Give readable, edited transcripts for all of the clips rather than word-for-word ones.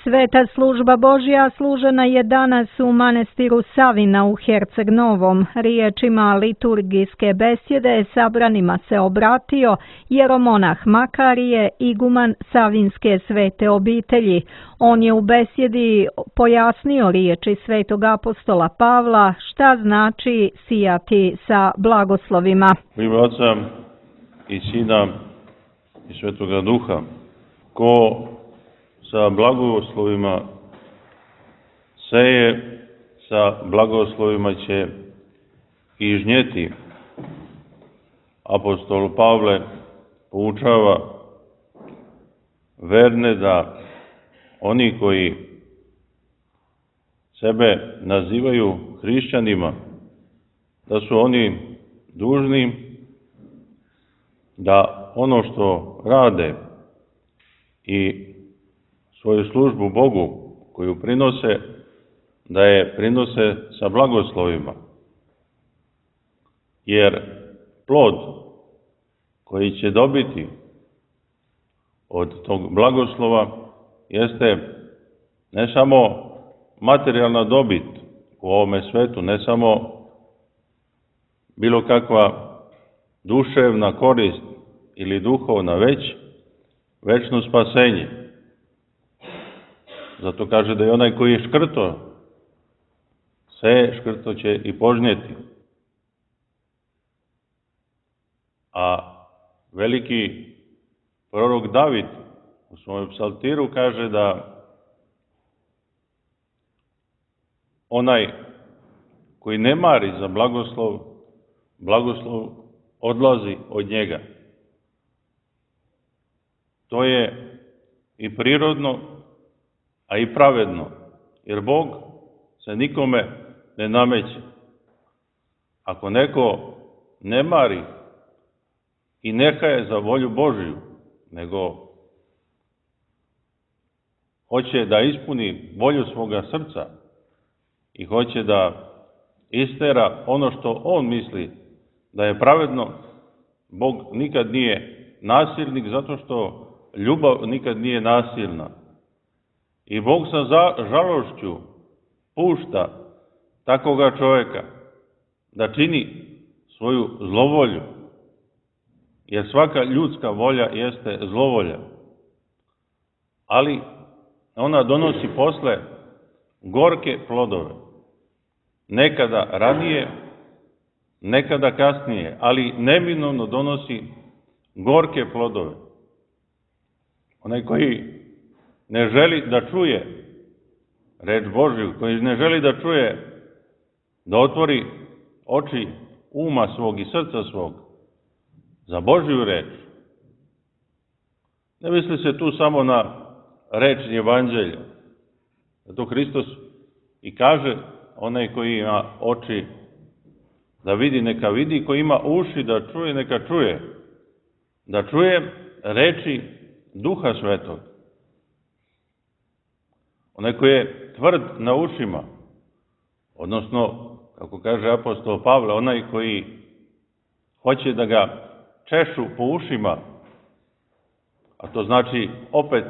Sveta služba Božja služena je danas u manastiru Savina u Herceg Novom. Riječima liturgijske besjede sabranima se obratio jeromonah Makarije, iguman Savinske svete obitelji. On je u besjedi pojasnio riječi svetog apostola Pavla šta znači sijati sa blagoslovima. U ime Oca i Sina i Svetoga Duha, ko sa blagoslovima seje, sa blagoslovima će i žnjeti. Apostol Pavle poučava verne da oni koji sebe nazivaju hrišćanima, da su oni dužni da ono što rade i svoju službu Bogu koju prinose, da je prinose sa blagoslovima. Jer plod koji će dobiti od tog blagoslova jeste ne samo materijalna dobit u ovome svetu, ne samo bilo kakva duševna korist ili duhovna, već večno spasenje. Zato kaže da je onaj koji je škrto, škrto će i požnjeti. A veliki prorok David u svom psaltiru kaže da onaj koji ne mari za blagoslov, blagoslov odlazi od njega. To je i prirodno, a i pravedno, jer Bog se nikome ne nameće. Ako neko ne mari i neka je za volju Božiju, nego hoće da ispuni volju svoga srca i hoće da istera ono što on misli da je pravedno, Bog nikad nije nasilnik, zato što ljubav nikad nije nasilna. I Bog sa žalošću pušta takoga čovjeka da čini svoju zlovolju, jer svaka ljudska volja jeste zlovolja. Ali ona donosi posle gorke plodove. Nekada ranije, nekada kasnije, ali neminovno donosi gorke plodove. Onaj koji ne želi da čuje reč Božju, koji ne želi da čuje, da otvori oči uma svog i srca svog za Božju reč. Ne misli se tu samo na reč evanđelja. Zato Hristos i kaže, onaj koji ima oči da vidi, neka vidi, koji ima uši da čuje, neka čuje. Da čuje reči Duha Svetog. Onaj koji je tvrd na ušima, odnosno, kako kaže apostol Pavle, onaj koji hoće da ga češu po ušima, a to znači opet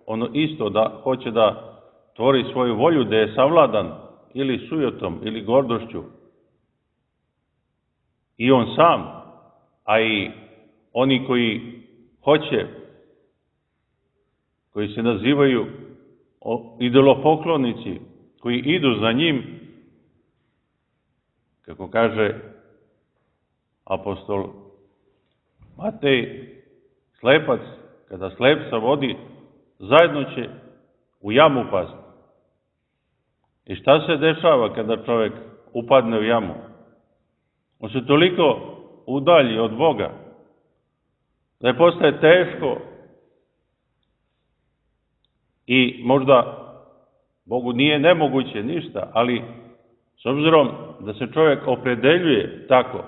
ono isto da hoće da tvori svoju volju, da je savladan ili sujetom ili gordošću. I on sam, a i oni koji hoće, koji se nazivaju idolopoklonici, koji idu za njim, kako kaže apostol Matej, slepac, kada slepca vodi, zajedno će u jamu pasti. I šta se dešava kada čovjek upadne u jamu? On se toliko udalji od Boga, da je postaje teško i možda Bogu nije nemoguće ništa, ali s obzirom da se čovjek opredeljuje tako,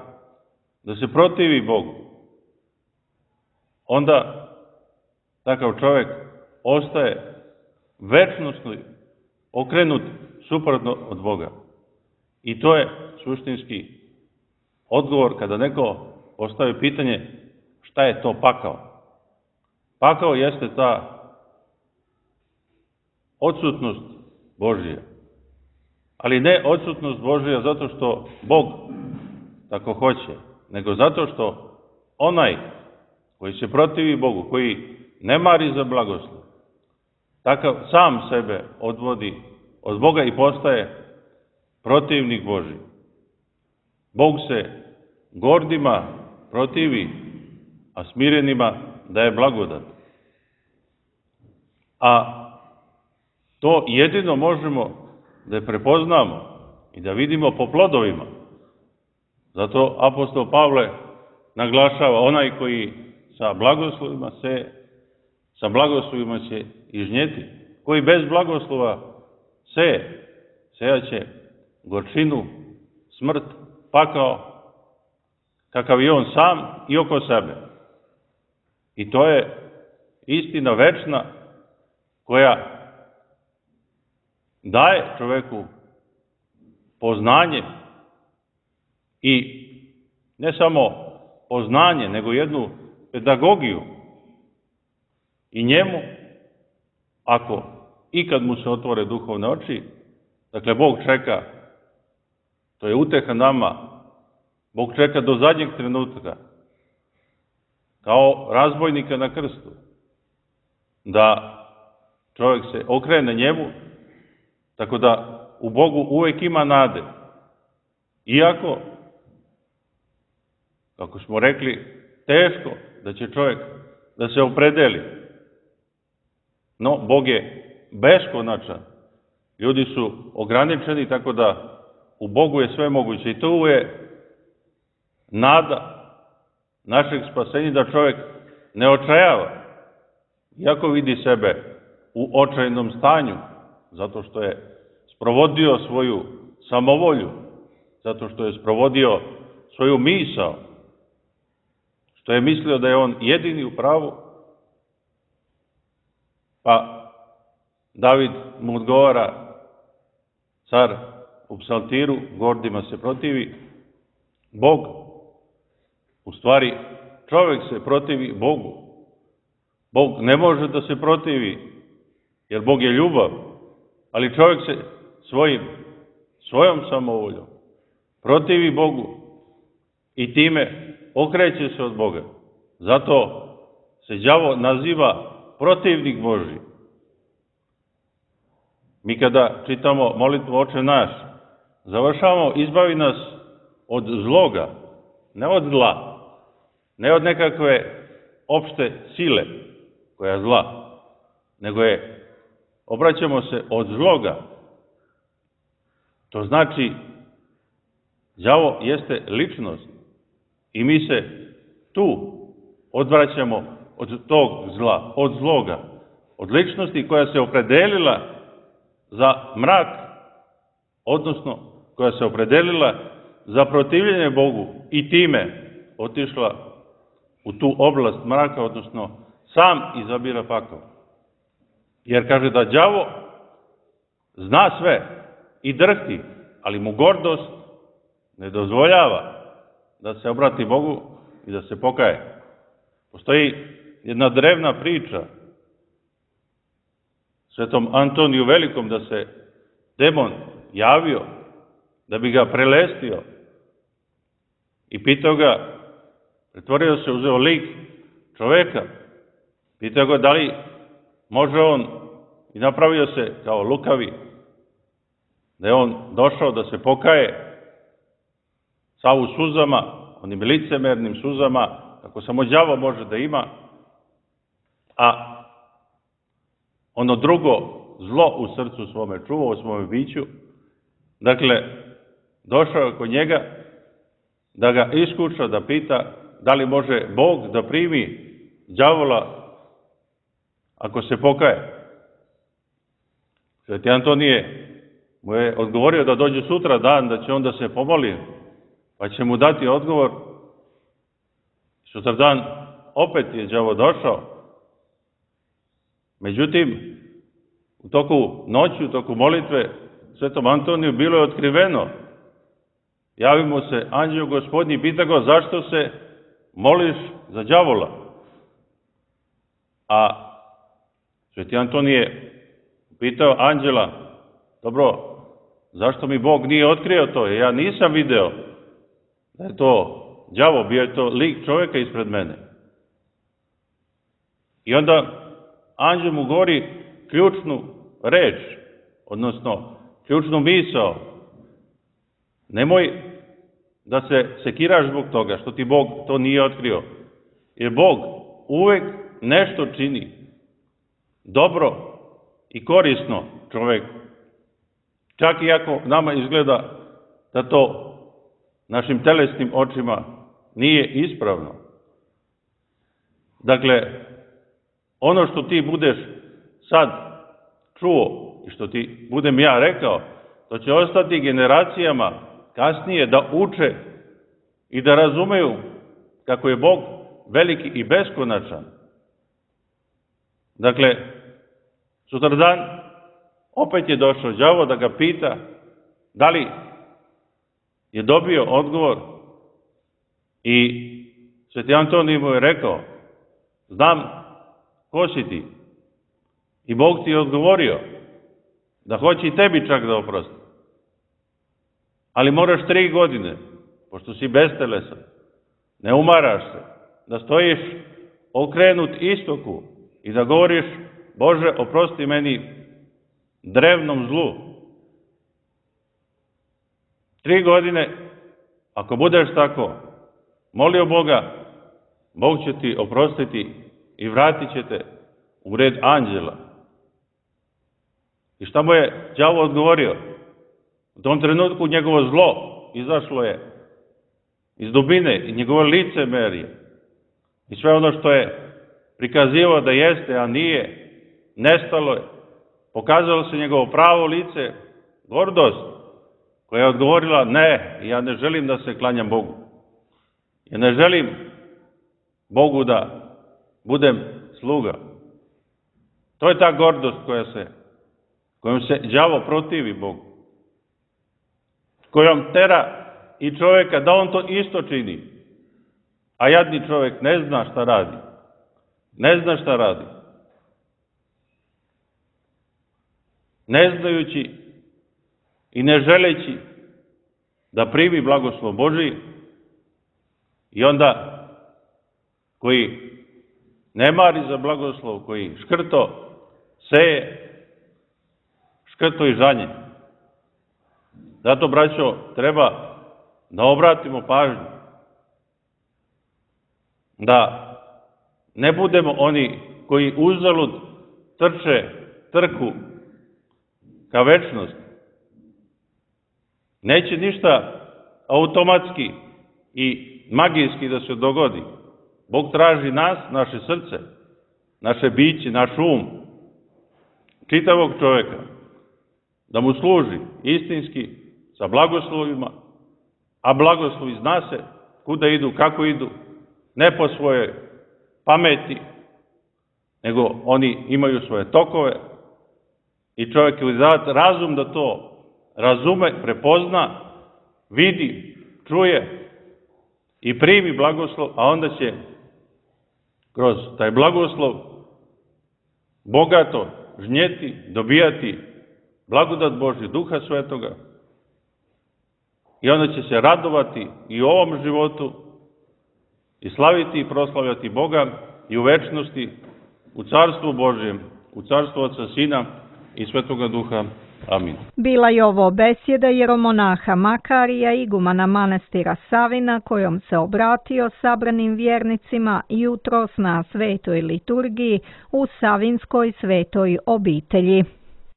da se protivi Bogu, onda takav čovjek ostaje večnosno okrenut suprotno od Boga. I to je suštinski odgovor kada neko postavi pitanje šta je to pakao. Pakao jeste ta odsutnost Božja. Ali ne odsutnost Božja zato što Bog tako hoće, nego zato što onaj koji se protivi Bogu, koji ne mari za blagoslov, takav sam sebe odvodi od Boga i postaje protivnik Božji. Bog se gordima protivi, a smirenima daje blagodat. A to jedino možemo da je prepoznamo i da vidimo po plodovima. Zato apostol Pavle naglašava, onaj koji sa blagoslovima seje, sa blagoslovima će i žnjeti. Koji bez blagoslova seje, sejaće gorčinu, smrt, pakao, kakav je on sam i oko sebe. I to je istina večna koja daje čoveku poznanje i ne samo poznanje, nego jednu pedagogiju i njemu, ako ikad mu se otvore duhovne oči, dakle, Bog čeka, to je uteha nama, Bog čeka do zadnjeg trenutka, kao razbojnika na krstu, da čovjek se okrene njemu, tako da u Bogu uvek ima nade. Iako, kako smo rekli, teško da će čovjek da se opredeli. No, Bog je beskonačan. Ljudi su ograničeni, tako da u Bogu je sve moguće. I to je nada našeg spasenja, da čovjek ne očajava, iako vidi sebe u očajnom stanju, zato što je sprovodio svoju samovolju, zato što je sprovodio svoju misao, što je mislio da je on jedini u pravu, pa David mu odgovara, car u psaltiru, gordima se protivi Bog. U stvari, čovjek se protivi Bogu. Bog ne može da se protivi, jer Bog je ljubav, ali čovjek se svojom samovoljom protivi Bogu i time okreće se od Boga. Zato se đavo naziva protivnik Božji. Mi kada čitamo molitvu Oče naš, završavamo izbavi nas od zloga, ne od zla, ne od nekakve opšte sile koja je zla, nego obraćamo se od zloga. To znači, đavo jeste ličnost i mi se tu odvraćamo od tog zla, od zloga, od ličnosti koja se opredelila za mrak, odnosno koja se opredelila za protivljenje Bogu i time otišla u tu oblast mraka, odnosno sam izabira pakao. Jer kaže da đavo zna sve i drhti, ali mu gordost ne dozvoljava da se obrati Bogu i da se pokaje. Postoji jedna drevna priča svetom Antoniju Velikom, da se demon javio da bi ga prelestio i pitao ga, pretvorio se, uzeo lik čoveka, pitao ga da li može on, i napravio se kao lukavi, da je on došao da se pokaje sav u suzama, onim licemernim suzama, kako samo đavo može da ima, a ono drugo zlo u srcu svome čuva, u svome biću. Dakle, došao je kod njega da ga iskuša, da pita da li može Bog da primi đavola ako se pokaje. Sveti Antonije mu je odgovorio da dođe sutra dan, da će on da se pomoli, pa će mu dati odgovor. Sutra dan opet je đavo došao. Međutim, u toku noći, u toku molitve, svetom Antoniju bilo je otkriveno. Javi mu se anđeo Gospodnji i pita ga, zašto se moliš za đavola? A sveti Antonije pitao anđela, dobro, zašto mi Bog nije otkrio to? Ja nisam video da je to đavo, bio je to lik čovjeka ispred mene. I onda anđel mu govori ključnu reč, odnosno ključnu misao. Nemoj da se sekiraš zbog toga što ti Bog to nije otkrio. Jer Bog uvek nešto čini dobro i korisno čoveku. Čak i ako nama izgleda da to našim telesnim očima nije ispravno. Dakle, ono što ti budeš sad čuo i što ti budem ja rekao, to će ostati generacijama kasnije da uče i da razumeju kako je Bog veliki i beskonačan. Dakle, sutradan opet je došao đavo da ga pita da li je dobio odgovor i Sveti Antonij mu je rekao, znam ko si ti. I Bog ti je odgovorio da hoće i tebi čak da oprosti. Ali moraš 3 godine, pošto si bestelesan, ne umaraš se, da stojiš okrenut istoku i da govoriš, Bože, oprosti meni drevnom zlu. 3 godine, ako budeš tako molio Boga, Bog će ti oprostiti i vratit će te u red anđela. I šta mu je đavo odgovorio? U tom trenutku njegovo zlo izašlo je iz dubine i njegovo licemerje. I sve ono što je prikazivao da jeste, a nije, nestalo je. Pokazalo se njegovo pravo lice, gordost, koja je odgovorila, ne, ja ne želim da se klanjam Bogu. Ja ne želim Bogu da budem sluga. To je ta gordost kojom se đavo protivi Bogu. Kojom tera i čovjeka da on to isto čini. A jadni čovjek ne zna šta radi. Ne zna šta radi. Ne znajući i ne želeći da primi blagoslov Božiji, i onda koji ne mari za blagoslov, koji škrto seje, škrto i žanje. Zato, braćo, treba da obratimo pažnju, da ne budemo oni koji uzalud trku ka večnosti. Neće ništa automatski i magijski da se dogodi. Bog traži nas, naše srce, naše biće, naš um, čitavog čovjeka, da mu služi istinski sa blagoslovima, a blagoslovi zna se kuda idu, kako idu, ne po svojoj pameti, nego oni imaju svoje tokove i čovjek je dat razum da to razume, prepozna, vidi, čuje i primi blagoslov, a onda će kroz taj blagoslov bogato žnjeti, dobijati blagodat Božju, Duha Svetoga, i onda će se radovati i u ovom životu i slaviti i proslavljati Boga i u večnosti, u Carstvu Božjem, u Carstvu Oca, Sina i Svetoga Duha. Amin. Bila je ovo besjeda jeromonaha Makarija, igumana manastira Savina, kojom se obratio sabranim vjernicima jutros na svetoj liturgiji u Savinskoj svetoj obitelji.